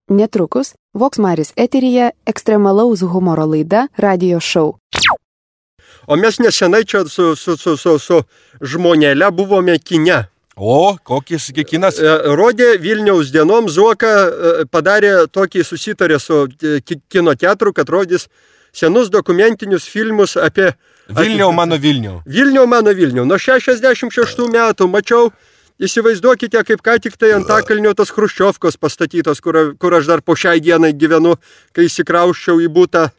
Netrukus Voksmaris eteryje ekstremalaus humoro laida Radio Show. O mes nesenai čia su žmonėle buvome kine. O, kokis kinas? Rodė Vilniaus dienom, Zuoka padarė tokį susitarę su kino teatru, kad rodys senus dokumentinius filmus apie... Vilniau mano Vilniau. Vilniau mano Vilniau. Nuo 66 metų mačiau, įsivaizduokite, kaip ką tik tai Antakalnio tos Chruščiovkos pastatytos, kur aš dar po šiai dienai gyvenu, kai įsikrausčiau į butą,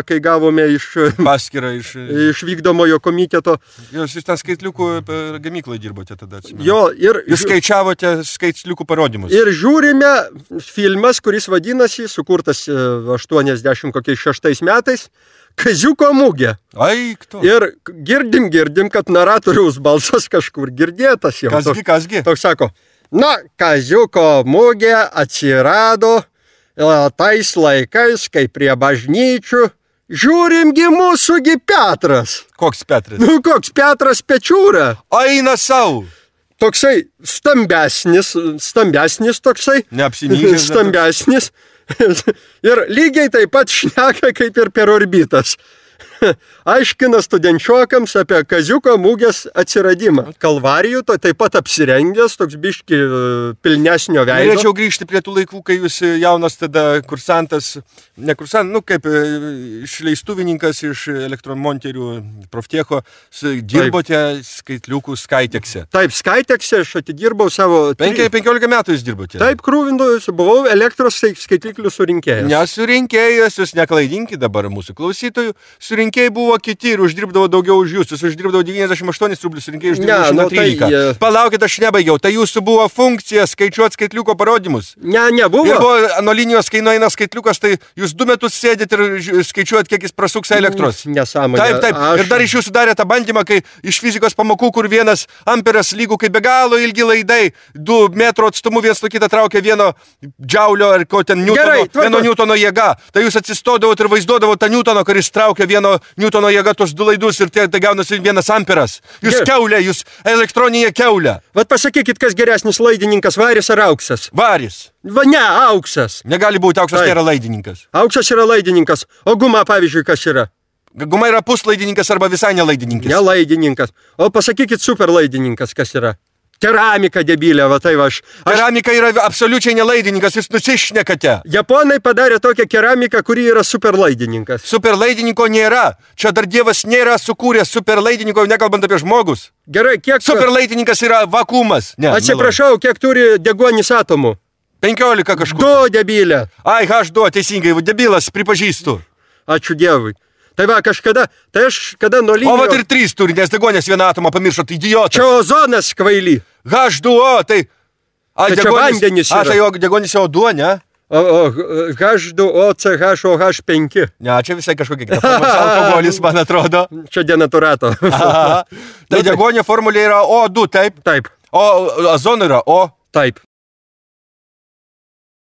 kai gavome paskirą iš vykdomojo komiteto. Jūs ten skaitliukų gamyklai dirbote tada, atsimenu. Jo, ir... Jūs skaičiavote skaitliukų parodymus. Ir žiūrime filmas, kuris vadinasi, sukurtas 86 metais, Kaziuko mugė. Ai, kto? Ir girdim, kad naratoriaus balsas kažkur girdėtas jau. Kasgi? Toks sako, Kaziuko mugė atsirado tais laikais, kai prie bažnyčių žiūrimgi mūsųgi Petras. Koks Petras? Koks Petras Pečiūra. Aina sau. Toksai stambesnis toksai. Neapsinyžęs. Stambesnis. Ir lygiai taip pat šneka kaip ir per orbitas. Aiškina studenčiokams apie Kaziuko mugės atsiradimą. Kalvarijų, taip pat apsirengęs, toks biški pilnesnio veido. Norėčiau grįžti prie tų laikų, kai jūs jaunas tada kursantas, kaip išleistuvininkas iš elektromonterių Proftecho, dirbote skaitliukų Skytekse. Taip, Skytekse aš atidirbau savo... 15 metų jūs dirbote. Taip, krūvindojus, buvau elektros skaitliklių surinkėjas. Nesurinkėjas, jūs neklaidinkit dabar mūsų klausytojų, surinkėjai buvo kiti ir uždirbdavo daugiau už jūs. Jūs uždirbdavo 98 rublius, surinkėjai uždirbdavo 113. Palaukit, aš nebaigiau. Tai jūsų buvo funkcija skaičiuoti skaitliuko parodymus? Nebuvo. Ir buvo nuo linijos, kai nueina skaitliukas, tai jūs 2 metus sėdit ir skaičiuojat, kiek jis prasuks elektros. Nesąmonė. Taip. Ir dar iš jūsų darė tą bandymą, kai iš fizikos pamokų, kur 1 amperas lygų, kai be galo ilgi laidai, 2 metrų atstumu vienas nuo kitą traukia 1 džiaulio ar ko ten Newtono, 1 Newtono jėga. Tai jūs atsistodavot ir vaizduodavot tą Newtono, kuris traukia 1 Newtono jėga tos 2 laidus ir tai gaunasi 1 amperas. Jūs keulė, jūs elektroninė keulė. Vat pasakykit, kas geresnis laidininkas, varis ar auksas? Varis. Ne, auksas. Negali būti, auksas nėra laidininkas. Auksas yra laidininkas. O guma, pavyzdžiui, kas yra? Guma yra puslaidininkas arba visai nelaidininkas. Nelaidininkas. O pasakykit superlaidininkas, kas yra? Keramika debilė, va tai va aš... Keramika yra absoliučiai nelaidininkas, jūs nusišnekate. Japonai padarė tokią keramiką, kuri yra superlaidininkas. Superlaidininko nėra. Čia dar Dievas nėra sukūręs superlaidininko, nekalbant apie žmogus. Gerai, kiek... Superlaidininkas yra vakuumas. Atsiprašau, kiek turi deguonis atomų? 15 kažkur. 2 debilė. Ai, H2, teisingai, debilas, pripažįstu. Ačiū Dievui. Tai va, kada nuo linijos... O va ir 3 turi, nes degonės 1 atomą pamiršot, idiotas. Čia ozonas kvaily. H2O, tai... Tai čia vandenis yra. Tai degonės O2, ne? O H2O, CHOH5. Ne, čia visai kažkokia kita formulė. Alkoholis, man atrodo. Čia denaturato. Tai degonė formulė yra O2, taip? Taip. O azono yra O. Taip.